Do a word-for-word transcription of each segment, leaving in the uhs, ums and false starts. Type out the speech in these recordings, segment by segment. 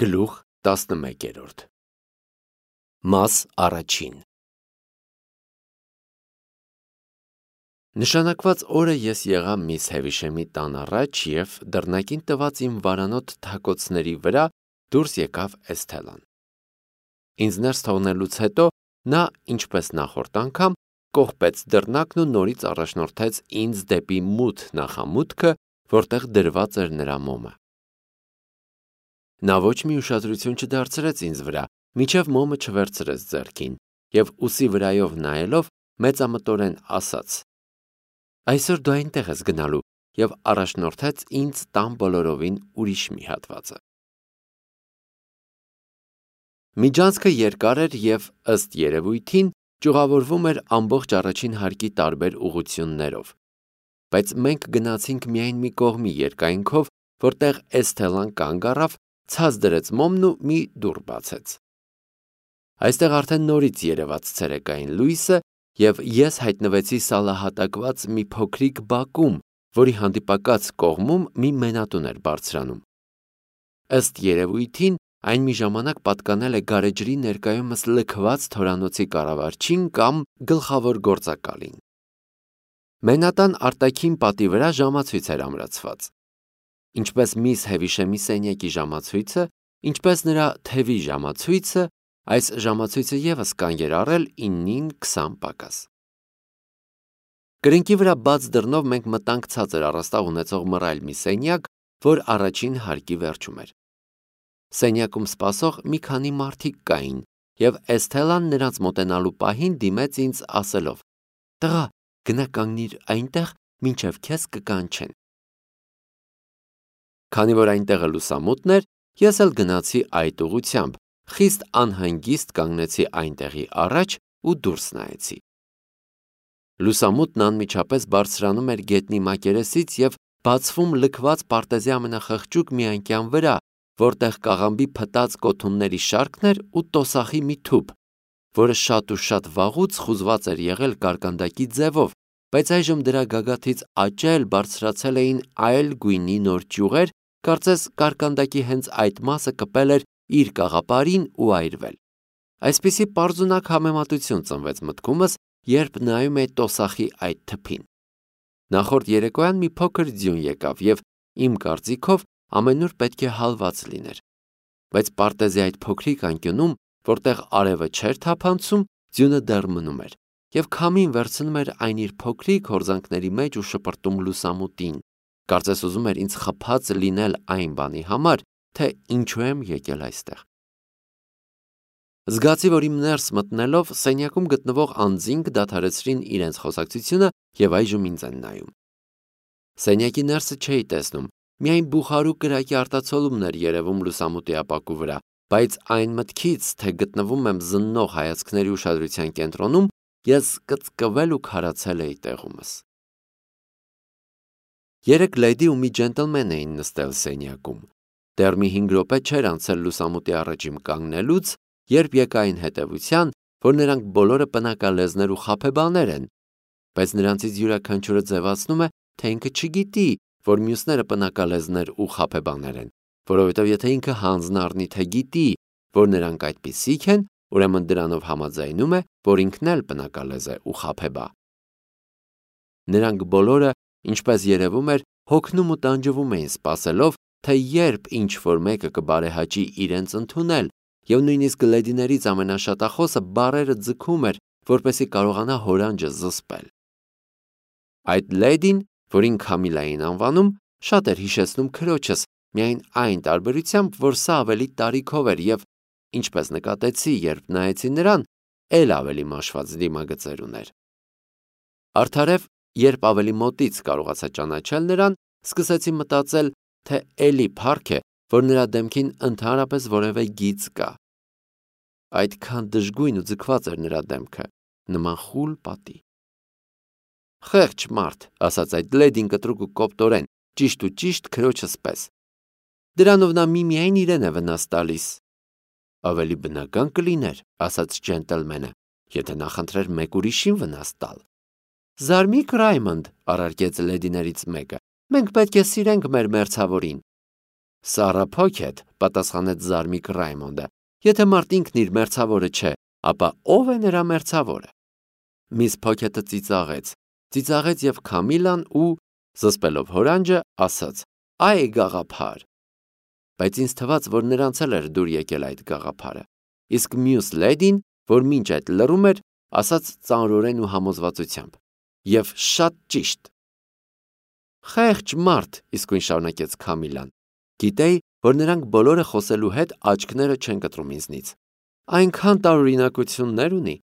Գլուխ տասնմեկերորդ Մաս առաջին Նշանակված օրը ես եղա միս Հևիշեմի տան առաջ և դռնակին տված իմ վարանոտ թակոցների վրա դուրս եկավ Էսթելան։ Ինձ ներս թողնելուց հետո նա, ինչպես նախորդ անգամ, կողպեց դռնակն ու նորից առաջնորդեց ինձ դեպի մութ նախամուտքը, որտեղ դրված էր նրա մոմը։ Նա ոչ մի ուշադրություն չդարձրեց ինձ վրա, մինչև մոմը չվերցրեց ձեռքին, և ուսի վրայով նայելով մեծամտորեն ասաց. «Այսօր դու այնտեղ ես գնալու», և առաջնորդեց ինձ տան բոլորովին ուրիշ մի հատվածը։ Միջանցքը երկար էր և, ըստ երևույթին, ճյուղավորվում էր ամբողջ առաջին հարկի տարբեր ուղղություններով, բայց մենք գնացինք միայն մի կողմի երկայնքով, որտեղ Էսթելան կանգ առավ, ցած դրեց մոմն ու մի դուռ բացեց։ Այստեղ արդեն նորից երևաց ցերեկային լույսը, և ես հայտնվեցի սալահատակված մի փոքրիկ բակում, որի հանդիպակաց կողմում մի մենատուն էր բարձրանում։ Ըստ երևույթին, այն մի ժամանակ պատկանել է գարեջրի ներկայումս լքված թորանոցի կառավարչին կամ գլխավոր գործակալին։ Մենատան արտաքին պատի վրա ժամացույց էր ամրացված։ Ինչպես միս Հևիշեմի սենյակի ժամացույցը, ինչպես նրա թևի ժամացույցը, այս ժամացույցը ևս կանգ էր առել իննին քսան պակաս։ Կրկնակի վրա բաց դռնով մենք մտանք ցածր առաստաղ ունեցող մռայլ մի սենյակ, որ առաջին հարկի վերջում էր։ Սենյակում սպասող մի քանի մարդիկ կային, և Էսթելան նրանց մոտենալու պահին դիմեց ինձ ասելով. «Տղա, գնա կանգնիր այնտեղ, մինչև քեզ կկանչեն»։ Քանի որ այնտեղը լուսամուտն էր, ես էլ գնացի այդ ուղղությամբ, խիստ անհանգիստ կանգնեցի այնտեղի առաջ ու դուրս նայեցի։ Լուսամուտն անմիջապես բարձրանում էր գետնի մակերեսից և բացվում լքված պարտեզի ամենախղճուկ մի անկյան վրա, որտեղ կաղամբի փտած կոթունների շարքն էր ու տոսախի մի թուփ, որը շատ ու շատ վաղուց խուզված էր եղել կարկանդակի ձևով, բայց այժմ դրա գագաթից աճել, բարձրացել էին այլ գույնի նոր ճյուղեր, կարծես կարկանդակի հենց այդ մասը կպել էր իր կաղապարին ու այրվել։ Այսպիսի պարզունակ համեմատություն ծնվեց մտքումս, երբ նայում էի տոսախի այդ թփին։ Նախորդ երեկոյան մի փոքր ձյուն եկավ և, իմ կարծիքով, ամենուր պետք է հալված լիներ։ Բայց պարտեզի այդ փոքրիկ անկյունում, որտեղ արևը չէր թափանցում, ձյունը դեռ մնում էր, և քամին վերցնում էր այն իր փոքրիկ հորձանքների մեջ ու շպրտում լուսամուտին, կարծես ուզում էր ինձ խփած լինել այն բանի համար, թե ինչու եմ եկել այստեղ։ Զգացի, որ իմ ներս մտնելով սենյակում գտնվող անձինք դադարեցրին իրենց խոսակցությունը և այժմ ինձ են նայում։ Սենյակի ներսը չէի տեսնում, միայն բուխարու կրակի արտացոլումն էր երևում լուսամուտի ապակու վրա, բայց այն մտքից, թե գտնվում եմ զննող հայացքների ուշադրության կենտրոնում, ես կծկվել ու քարացել էի տեղումս։ Երեք լեդի ու մի ջենտլմեն էին նստել սենյակում։ Դեռ մի հինգ րոպե չէր անցել լուսամուտի առաջին կանգնելուց, երբ եկա այն հետևության, որ նրանք բոլորը պնակալեզներ ու խաբեբաներ են, բայց նրանցից յուրաքանչյուրը ձևացնում է, թե ինքը չգիտի, որ մյուսները պնակալեզներ ու խաբեբաներ են, որովհետև եթե ինքը հանձն առնի, թե գիտի, որ նրանք այդպիսիք են, ուրեմն դրանով համաձայնում է, որ ինքն էլ պնակալեզ է ու խաբեբա։ Նրանք բոլորը, ինչպես երևում էր, հոգնում ու տանջվում էին սպասելով, թե երբ ինչ-որ մեկը կբարեհաճի իրենց ընդունել, և նույնիսկ լեդիներից ամենաշատախոսը բառերը ձգում էր, որպեսզի կարողանա հորանջը զսպել։ Այդ լեդին, որին Քամիլա էին անվանում, շատ էր հիշեցնում քրոջս, միայն այն տարբերությամբ, որ սա ավելի տարիքով էր և, ինչպես նկատեցի, երբ նայեցի նրան, էլ ավելի մաշված դիմագծեր ուներ։ Արդարև, երբ ավելի մոտից կարողացա ճանաչել նրան, սկսեցի մտածել, թե էլի փառք է, որ նրա դեմքին ընդհանրապես որևէ գիծ կա։ Այդքան դժգույն ու ձգված էր նրա դեմքը, նման խուլ պատի։ Խեղճ մարդ, ասաց այդ լեդին կտրուկ ու կոպտորեն, ճիշտ ու ճիշտ քրոջս պես։ Դրանով նա միմիայն իրեն է վնաս տալիս։ Ավելի բնական կլիներ, ասաց ջենտլմենը, եթե նախընտրեր մեկ ուրիշին վնաս տալ։ Զարմիկ Ռայմոնդ, առարկեց լեդիներից մեկը, մենք պետք է սիրենք մեր մերձավորին։ Սարա Փոքեթ, պատասխանեց զարմիկ Ռայմոնդը, եթե մարդ ինքն իր մերձավորը չէ, ապա ով է նրա մերձավորը։ Միս Փոքեթը ծիծաղեց, ծիծաղեց եւ Քամիլան ու, զսպելով հորանջը, ասաց. «Այ գաղափար»։ Բայց ինձ թվաց, որ նրանց էլ էր դուր եկել այդ գաղափարը։ Իսկ մյուս լեդին, որ մինչ այդ լռում էր, ասաց ծանրորեն ու համոզվածությամբ. «Եվ շատ ճիշտ»։ Խեղճ մարդ, իսկույն շարունակեց Քամիլան։ Գիտեի, որ նրանք բոլորը խոսելու հետ աչքները չեն կտրում ինձնից։ Այնքան տարօրինակություններ ունի։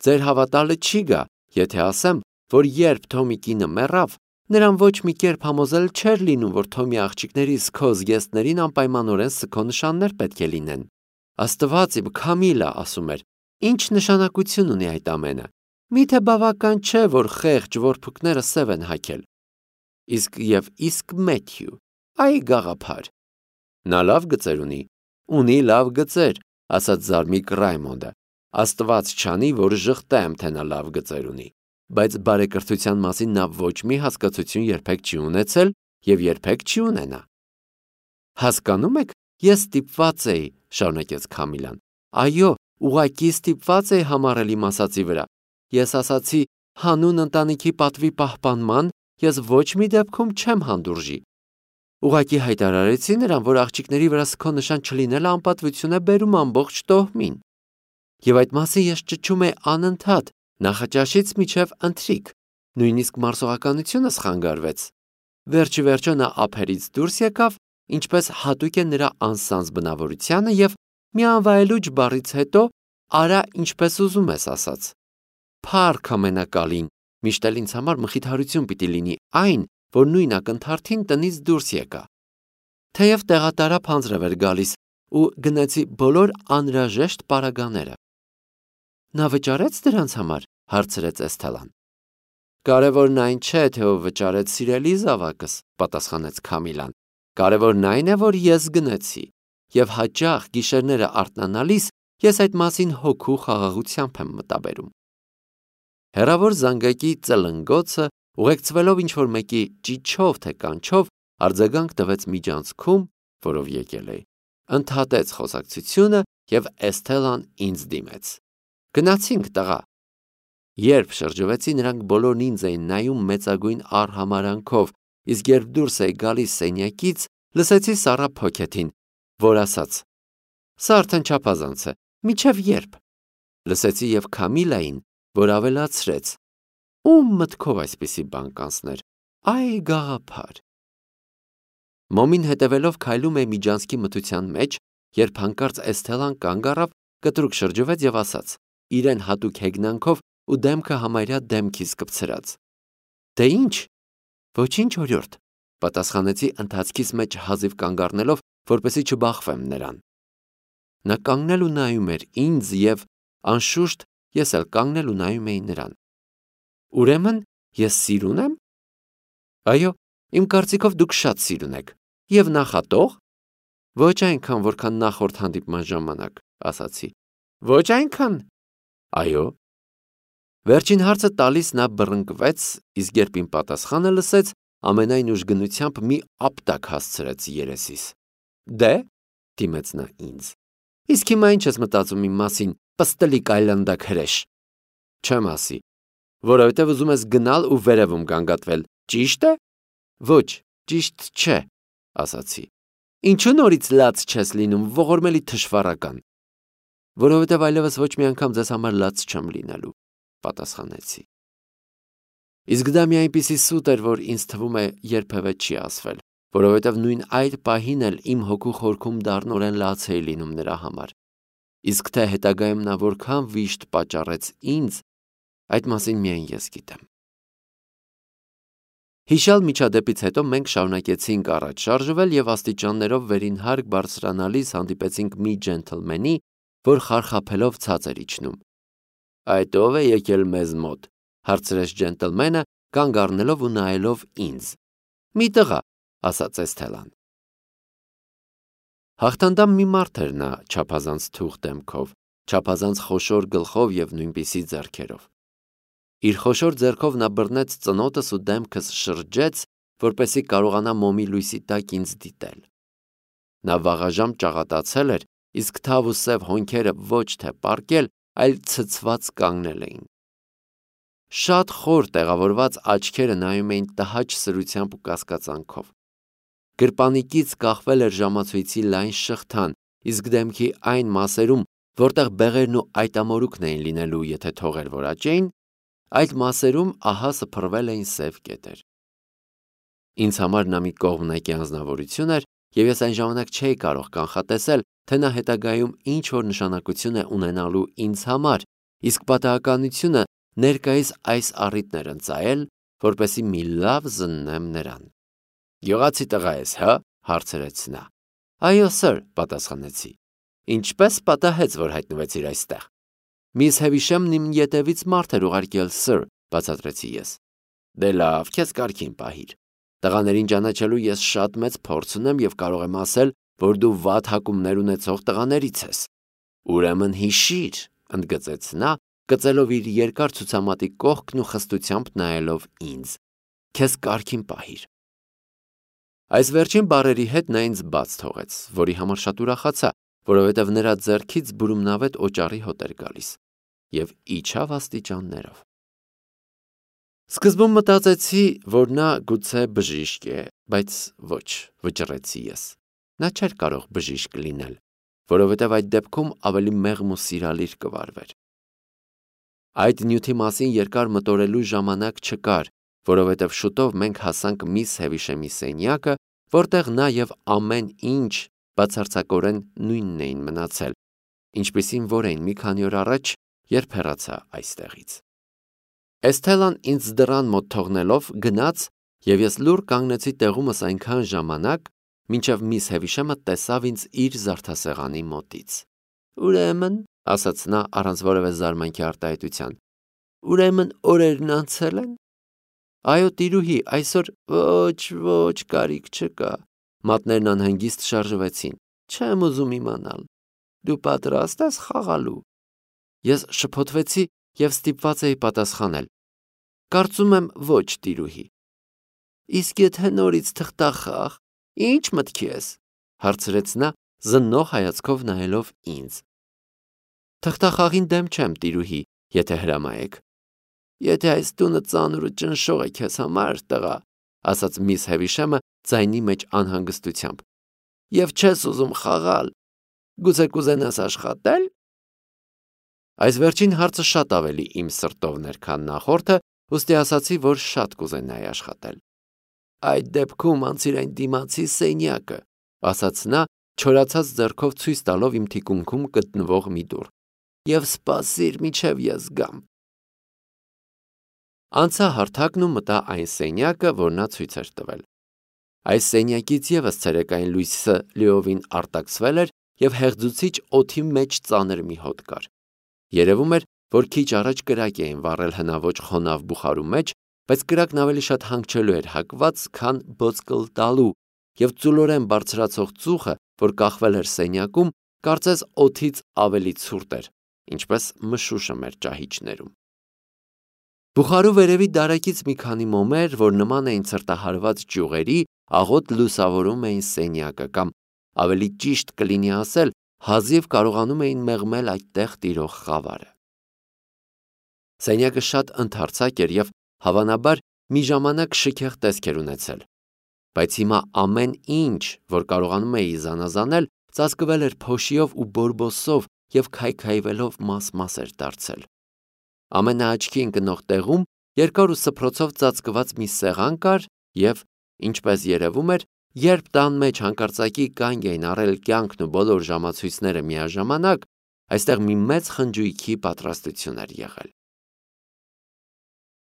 Ձեր հավատալը չի գա, եթե ասեմ, որ երբ Թոմի կինը մեռավ, նրան ոչ մի կերպ համոզել չէր լինում, որ Թոմի աղջիկների սքո զգեստներին անպայմանորեն սքո նշաններ պետք է լինեն։ Աստված իմ, Քամիլա, ասում էր, ինչ նշանակություն ունի այդ ամենը։ Միթե բավական չէ, որ խեղճ որփուկները սև են հագել։ Իսկ եւ իսկ Մեթյու, այ գաղափար։ Նա լավ գծեր ունի, ունի լավ գծեր, ասաց զարմիկ Ռայմոնդը։ Աստված չանի, որ ժխտեմ, թե նա լավ գծեր ունի, բայց բարեկրթության մասին նա ոչ մի հասկացություն երբեք չի ունեցել եւ երբեք չի ունենա։ Հասկանում եք, ես ստիպված էի, շարունակեց Քամիլան։ Այո, ուղղակի ստիպված էի համառել իմ ասացի վրա։ Ես ասացի, հանուն ընտանիքի պատվի պահպանման ես ոչ մի դեպքում չեմ հանդուրժի։ Ուղղակի հայտարարեցի նրան, որ աղջիկների վրա սքո նշան չլինելը անպատվություն է բերում ամբողջ տոհմին։ Եվ այդ մասին ես ճչում էի անընդհատ, նախաճաշից մինչև ընթրիք, նույնիսկ մարսողականությունս խանգարվեց։ Վերջի վերջո նա ափերից դուրս եկավ, ինչպես հատուկ է նրա անսանձ բնավորությանը եւ մի անվայելուչ բառից հետո արա ինչպես ուզում ես ասաց։ Փառք ամենակալին, միշտ էլ ինձ համար մխիթարություն պիտի լինի այն, որ նույն ակնթարթին տնից դուրս եկա։ Թեև տեղատարափ անձրև էր գալիս ու գնացի բոլոր անհրաժեշտ պարագաները։ Նա վճարեց դրանց համար, հարցրեց Էսթելան։ Կարևորն այն չէ, թե ով վճարեց սիրելի զավակս, պատասխանեց Քամիլան։ Կարևորն այն է, որ ես գնացի, եւ հաճախ գիշերները արթնանալիս ես այդ մասին հոգու խաղաղությամբ եմ մտաբերում։ Հեռավոր զանգակի ծլնգոցը, ուղեկցվելով ինչ-որ մեկի ճիչով թե կանչով, արձագանք տվեց միջանցքում, որով եկել էի, ընդհատեց խոսակցությունը եւ Էսթելան ինձ դիմեց։ Գնացինք, տղա։ Երբ շրջվեցի, նրանք բոլորն ինձ էին նայում մեծագույն արհամարանքով, իսկ երբ դուրս էի գալիս սենյակից, լսեցի Սարա Փոքեթին, որ ասաց. Սա արդեն չափազանց է, միչև երբ։ Լսեցի եւ Քամիլային, որ ավելացրեց. Ում մտքով այսպիսի բան կանցներ, այ գաղափար։ Մոմին հետևելով քայլում է միջանցքի մթության մեջ, երբ հանկարծ Էսթելան կանգ առավ, կտրուկ շրջվեց եւ ասաց, իրեն հատուկ հեգնանքով ու դեմքը համարյա դեմքից կպցրած. Դե ինչ, ոչինչ օրիորդ, պատասխանեցի ընթացքից մեջ հազիվ կանգ առնելով, որպեսզի չբախվեմ նրան։ Նա կանգնել ու նայում էր ինձ եւ անշուշտ ես էլ կանգնել ու նայում էի նրան։ Ուրեմն ես սիրուն եմ։ Այո, իմ կարծիքով դուք շատ սիրուն եք։ Եվ նախատող։ Ոչ այնքան, որքան նախորդ հանդիպման ժամանակ, ասացի։ Ոչ այնքան։ Այո։ Վերջին հարցը տալիս նա բռնկվեց, իսկ երբ իմ պատասխանը լսեց, ամենայն ուժգնությամբ մի ապտակ հասցրեց երեսիս։ Դե, դիմեց նա ինձ։ Իսկ հիմա ինչ ես մտածում իմ մասին, պստլիկ այլանդակ հրեշ։ Չեմ ասի, որովհետև ուզում ես գնալ ու վերևում գանգատվել, ճիշտ է։ Ոչ, ճիշտ չէ, ասացի։ Ինչու նորից լաց չես լինում, ողորմելի թշվառական։ Որովհետև այլևս ոչ մի անգամ ձեզ համար լաց չեմ լինելու, պատասխանեցի։ Իսկ դա մի այնպիսի սուտ էր, որ ինձ թվում է երբևէ չի ասվել, որովհետև նույն այդ պահին էլ իմ հոգու խորքում դառնորեն լաց էի լինում նրա համար։ Իսկ թե հետագայում նա որքան վիշտ պատճառեց ինձ, այդ մասին միայն ես գիտեմ։ Հիշալ միջադեպից հետո մենք շարունակեցինք առաջ շարժվել եւ աստիճաններով վերին հարկ բարձրանալիս հանդիպեցինք մի ջենթլմենի, որ խարխափելով ցած էր իջնում։ Այդ ով է եկել մեզ մոտ, հարցրեց ջենթլմենը, կանգ առնելով ու նայելով ինձ։ Մի տղա, ասաց Էսթելան։ Հաղթանդամ մի մարդ էր նա, չափազանց թուղթ դեմքով, չափազանց խոշոր գլխով եւ նույնպիսի ձեռքերով։ Իր խոշոր ձեռքով նա բռնեց ծնոտս ու դեմքս շրջեց, որպեսզի կարողանա մոմի լույսի տակ ինձ դիտել։ Նա վաղաժամ ճաղատացել էր, իսկ թավ ու սև հոնքերը ոչ թե պառկել, այլ ցցված կանգնել էին։ Շատ խոր տեղավորված աչքերը նայում էին տհաճ սրությամբ ու կասկածանքով։ Գրպանիկից կախվել էր ժամացույցի լայն շղթան, իսկ դեմքի այն մասերում, որտեղ բեղերն ու այտամորուքն էին լինելու, եթե թողեր որ աճեին, այդ մասերում ահա սփռվել էին սև կետեր։ Ինձ համար նա մի կողմնակի անձնավորություն էր, եւ ես այն ժամանակ չէի կարող կանխատեսել, թե նա հետագայում ինչ որ նշանակություն է ունենալու ինձ համար, իսկ պատահականությունը ներկայիս այս առիթն էր ընծայել, որպեսզի մի լավ զննեմ նրան։ «Գյուղացի տղա ես, հա»։ հարցրեց նա։ «Այո, սըր», պատասխանեցի։ «Ինչպես պատահեց, որ հայտնվեցիր այստեղ»։ «Միս Հևիշեմն իմ ետևից մարդ էր ուղարկել, սըր», բացատրեցի ես։ «Դե լավ, քեզ կարգին պահիր։ Տղաներին ճանաչելու ես շատ մեծ փորձ ունեմ եւ կարող եմ ասել, որ դու վատ հակումներ ունեցող տղաներից ես»։ «Ուրեմն հիշիր», ընդգծեց նա, կծելով իր երկար ցուցամատի կողքն ու խստությամբ նայելով ինձ։ «Քեզ կարգին պահիր»։ Այս վերջին բառերի հետ նա ինձ բաց թողեց, որի համար շատ ուրախացա, որովհետև նրա ձեռքից բուրումնավետ օճառի հոտ էր գալիս, եւ իջավ աստիճաններով։ Սկզբում մտածեցի, որ նա գուցե բժիշկ է, բայց ոչ, վճռեցի ես։ Նա չէր կարող բժիշկ լինել, որովհետև այդ դեպքում ավելի մեղմ ու սիրալիր կվարվեր։ Այդ նյութի մասին երկար մտորելու ժամանակ չկար, որովհետև շուտով մենք հասանք միս Հևիշեմի սենյակը, որտեղ նա եւ ամեն ինչ բացարձակորեն նույնն էին մնացել, ինչպիսին որ էին մի քանի օր առաջ, երբ հեռացա այստեղից։ Էսթելան ինձ դռան մոտ թողնելով գնաց, եւ ես լուռ կանգնեցի տեղումս այնքան ժամանակ, մինչև միս Հևիշեմը տեսավ ինձ իր զարդասեղանի մոտից։ «Ուրեմն», ասաց նա առանց որևէ զարմանքի արտահայտության, «ուրեմն օրերն անցել են»։ «Այո, տիրուհի, այսօր ոչ, ոչ, կարիք չկա»։ Մատներն անհանգիստ շարժվեցին։ «Չեմ ուզում իմանալ։ Դու պատրաստ ես խաղալու»։ Ես շփոթվեցի եւ ստիպված էի պատասխանել. «Կարծում եմ ոչ, տիրուհի»։ «Իսկ եթե նորից թղթախաղ, ի՞նչ մտքի ես», հարցրեց նա, զննող հայացքով նայելով ինձ։ «Թղթախաղին դեմ չեմ, տիրուհի, եթե հրամայեք»։ «Եթե այս տունը ծանր ու ճնշող է քեզ համար, տղա», ասաց միս Հևիշեմը ձայնի մեջ անհանգստությամբ, «եւ չես ուզում խաղալ, գուցե կուզենաս աշխատել»։ Այս վերջին հարցը շատ ավելի իմ սրտովն էր, քան նախորդը, ուստի ասացի, որ շատ կուզենայի աշխատել։ «Այդ դեպքում անցիր այն դիմացի սենյակը», ասաց նա, չորացած ձեռքով ցույց տալով իմ թիկունքում գտնվող մի դուռ, «եւ սպասիր, մինչեւ ես գամ»։ Անցա հարթակն ու մտա այն սենյակը, որ նա ցույց էր տվել։ Այս սենյակից եւս ցերեկային լույսը լիովին արտաքսվել էր եւ հեղձուցիչ օդի մեջ ծանր մի հոտ կար։ Երևում էր, որ քիչ առաջ կրակ էին վառել հնաոճ խոնավ բուխարու մեջ, բայց կրակն ավելի շատ հանգչելու էր հակված, քան բոցկլ տալու, եւ ծուլորեն բարձրացող ծուխը, որ կախվել էր սենյակում, կարծես օդից ավելի ցուրտ էր, ինչպես մշուշը մեր ճահիճներում։ Բուխարու վերևի դարակից մի քանի մոմեր, որ նման էին ցրտահարված ճյուղերի, աղոտ լուսավորում էին սենյակը կամ, ավելի ճիշտ կլինի ասել, հազիվ կարողանում էին մեղմել այդտեղ տիրող խավարը։ Սենյակը շատ ընդարձակ էր եւ հավանաբար մի ժամանակ շքեղ տեսք էր ունեցել, բայց հիմա ամեն ինչ, որ կարողանում էի զանազանել, ծածկվել էր փոշիով ու բորբոսով եւ քայքայվելով մաս-մաս էր դարձել։ Ամենաաչքի ընկնող տեղում երկար ու սփռոցով ծածկված մի սեղան կար եւ, ինչպես երևում էր, երբ տան մեջ հանկարծակի կանգ էին առել կյանքն ու բոլոր ժամացույցները միաժամանակ, այստեղ մի մեծ խնջույքի պատրաստություն էր եղել։